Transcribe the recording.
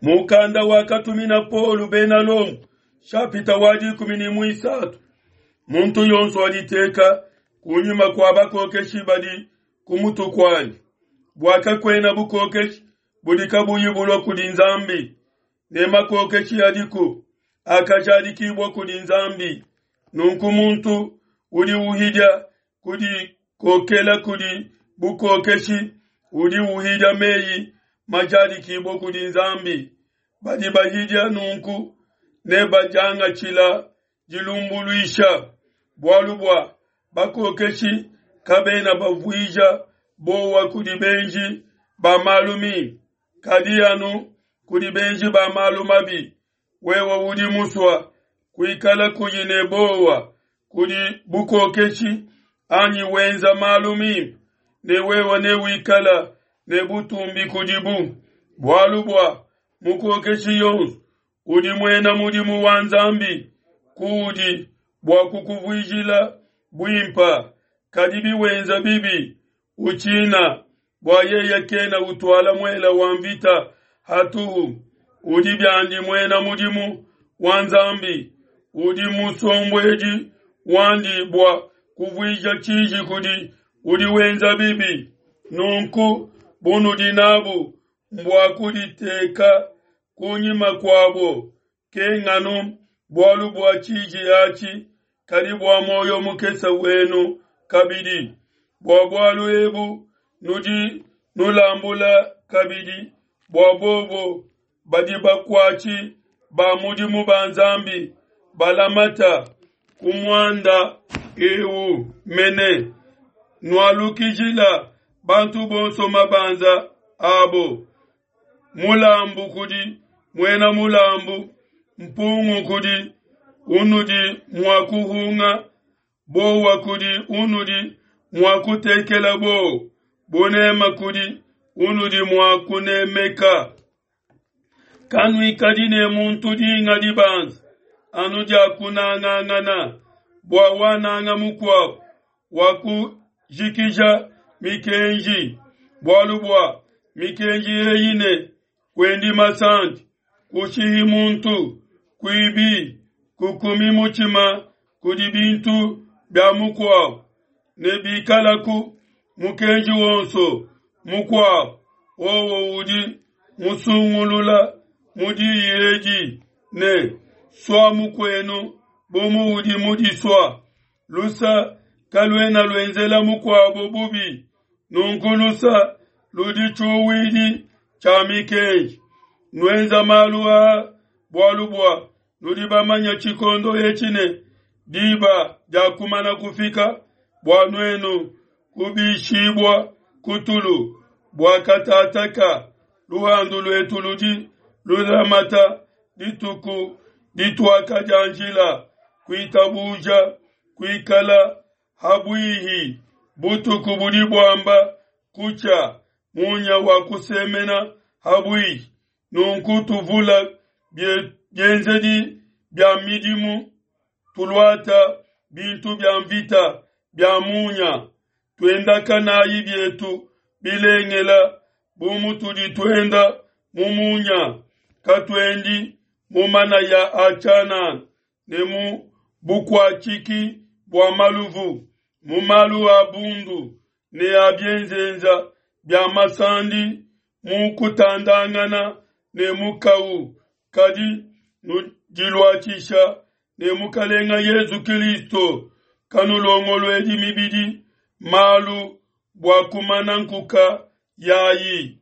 Mukanda wakatumina Paulo bena Lomo, shapita wa 13. Muntu yonso aditeka kunyima kua bakokeshi badi ku mutu kuandi, bua kakuena bukokeshi budi kabuyi bulua kudi Nzambi, ne makokeshi adiku akajadikibua kudi Nzambi. Nunku muntu udi uhidia kudikokela kudi bukokeshi udi uhidia meyi majadikibua kudi Nzambi. Badi bahidia nunku ne badiangatshila dilumbuluisha, bualu bua bakokeshi kabena bavuija bowa kudi benji ba malu mimpe, kadi anu kudi benji ba malu mabi. Wewe udi musua kuikala kuyi ne bowa kudi bukokeshi anyi wenza malu mimpe, ne wewe newikala ne butumbi kudibu, bualu bua mukokeshi yonso udi muena mudimu wa Nzambi kuudi bua kukuvuijila buimpa. Kadi biwenza bibi, utshina, bua yeye kena utuala muela wa mvita hatuhu. Udi biandi muena mudimu wa Nzambi, udi musombuedi wandi bua kuvuija tshiji kudi udi wenza bibi. Nunku bunudi nabu mbua kuditeka kunyima kuabo, kenganu bualu bua tshiji atshi, kadi bua muoyo mukese wenu kabidi. Bua bualu ebu nudi nulambula kabidi bua bobo badi bakuatshi ba mudimu ba Nzambi balamata ku muanda eu mene. Nualukijila bantu bonso mabanza abo, mulambu kudi muena mulambu, mpungu kudi unudi mua kuhunga, bowa kudi unudi mua kutekela bowa, bunema kudi unudi mua kunemeka. Kanuikadi ne muntu dinga dibanza anu dia kunangangana, bua wananga mukuabu wakujikija mikenji. Bualu bua mikenji eyi ne kuendi masandi, kushihi muntu, kuibi, kukumi mutshima kudi bintu bia mukuabu, ne bikalaku mukenji wonso mukuabu, wowo udi musungulula mu diyi edi ne, sua mukuenu bu muudi mudisua. Lusa kaluena luenzela mukuabo bubi, nunku lusa ludi tshiuwidi tshia mikenji. Nuenza malu aa bualu bua nudi bamanye tshikondo etshi ne diba diakumana kufika bua nuenu kubishibua ku tulu, bua katataka luhandu luetu ludi lulamata dituku dituakadianjila kuitabuja kuikala habuihi. Butuku budi buamba kutshia, munya wa kusemena habuihi. Nunku tuvula bienzedi bia midimu, tuluata bintu bia mvita bia munya, tuendakanayi bietu bilengela bu mutudi tuenda mu munya. Katuendi mu manaya a tshianana ne mu bukuatshiki bua maluvu, mu malu a bundu ne a bienzenza bia masandi, mu kutandangana ne mukawu, kadi nudiluatshisha ne Mukalenga Yesu Kristo. Kanulongoluedi mibidi malu bua kumana nkuka yayi.